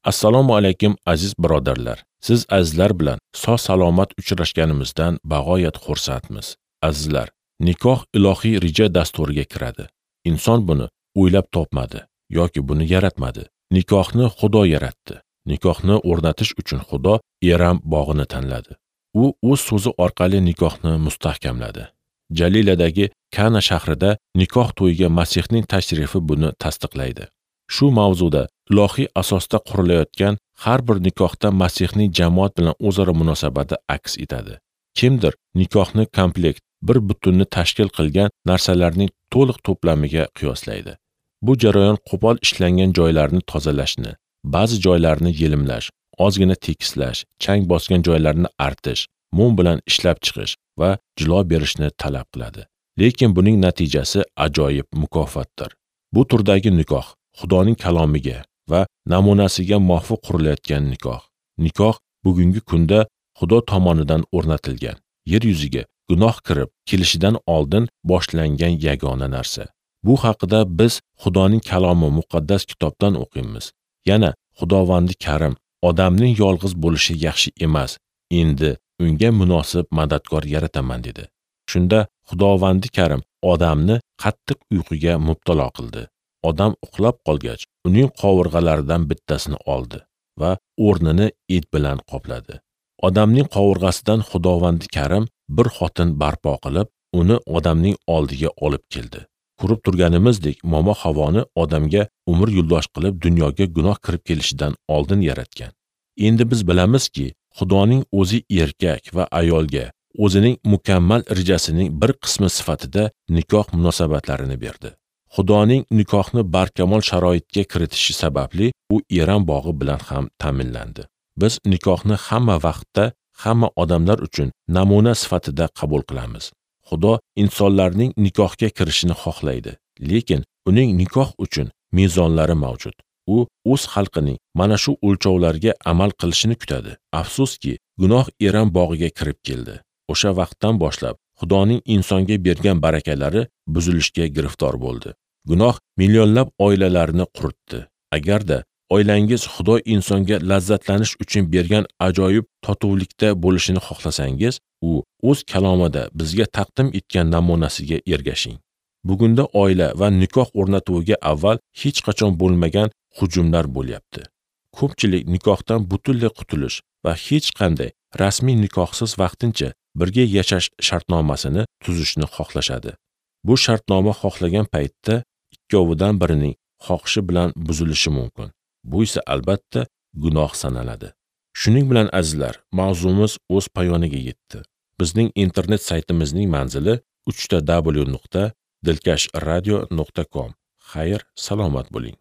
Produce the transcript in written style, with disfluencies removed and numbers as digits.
Assalomu alaykum aziz birodarlar. Siz azizlar bilan sog' salomat uchrashganimizdan bag'oyat xursandmiz. Azizlar, nikoh ilohiy reja dasturiga kiradi. Inson buni o'ylab topmadi yoki buni yaratmadi. Nikohni Xudo yaratdi. Nikohni o'rnatish uchun Xudo Eram bog'ini tanladi. U o'z so'zi orqali nikohni mustahkamladi. Jaliladagi Kana shahrida nikoh to'yiga Masihning tashrifi buni tasdiqlaydi. Shu mavzuda ilohiy asosda qurilayotgan har bir nikohda Masihning jamoat bilan o'zaro munosabati aks etadi. Kimdir nikohni komplekt, bir butunni tashkil qilgan narsalarning to'liq to'plamiga qiyoslaydi. Bu jarayon qo'pol ishlangan joylarni tozalashni, ba'zi joylarni yelimlash, ozgina tekislash, chang bosgan joylarni artish, mum bilan ishlab chiqish va jilo berishni talab qiladi. Lekin buning natijasi ajoyib mukofotdir. Bu turdagi nikoh Xudoning kalomiga va namunasiga muvofiq qurilayotgan nikoh. Nikoh bugungi kunda Xudo tomonidan o'rnatilgan, yer yuziga gunoh kirib kelishidan oldin boshlangan yagona narsa. Bu haqida biz Xudoning kalomi muqaddas kitobdan o'qiymiz. Yana Xudovandi Karim odamning yolg'iz bo'lishi yaxshi emas, endi unga munosib madadkor yarataman dedi. Shunda Xudovandi Karim odamni qattiq uyquga mubtalo qildi. Odam uxlab qolgach, uning qovurg'alaridan bittasini oldi va o'rnini et bilan qopladi. Odamning qovurg'asidan Xudovandi Karim bir xotin barpo qilib, uni odamning oldiga olib keldi. Ko'rib turganimizdek, momo Havoni odamga umr yo'ldosh qilib dunyoga gunoh kirib kelishidan oldin yaratgan. Endi biz bilamizki, Xudoning o'zi erkak va ayolga o'zining mukammal rejasining bir qismi sifatida nikoh munosabatlarini berdi. Xudoning nikohni barkamol sharoitga kiritishi sababli u Eram bog'i bilan ham ta'minlandi. Biz nikohni hamma vaqtda, hamma odamlar uchun namuna sifatida qabul qilamiz. Xudo insonlarning nikohga kirishini xohlaydi, lekin uning nikoh uchun mezonlari mavjud. U o'z xalqining mana shu o'lchovlarga amal qilishini kutadi. Afsuski, gunoh Eram bog'iga kirib keldi. O'sha vaqtdan boshlab Xudoning insonga bergan barakalari buzilishga giriftor bo'ldi. Gunoh millionlab oilalarni quritdi. Agarda oilangiz Xudo insonga lazzatlanish uchun bergan ajoyib totuvlikda bo'lishini xohlasangiz, u o'z kalomida bizga taqdim etgan namunasiga ergashing. Bugunda oila va nikoh o'rnatuviga avval hech qachon bo'lmagan hujumlar bo'lyapti. Ko'pchilik nikohdan butunlay qutulish va hech qanday rasmiy nikohsiz vaqtincha birga yashash shartnomasini tuzishni xohlashadi. Bu shartnoma xohlagan paytda ikkovidan birining xohishi bilan buzilishi mumkin. Bu esa albatta gunoh sanaladi. Shuning bilan azizlar, mavzumiz o'z poyoniga yetdi. Bizning internet saytimizning manzili www.dilkashradio.com. Xayr, salomat bo'ling.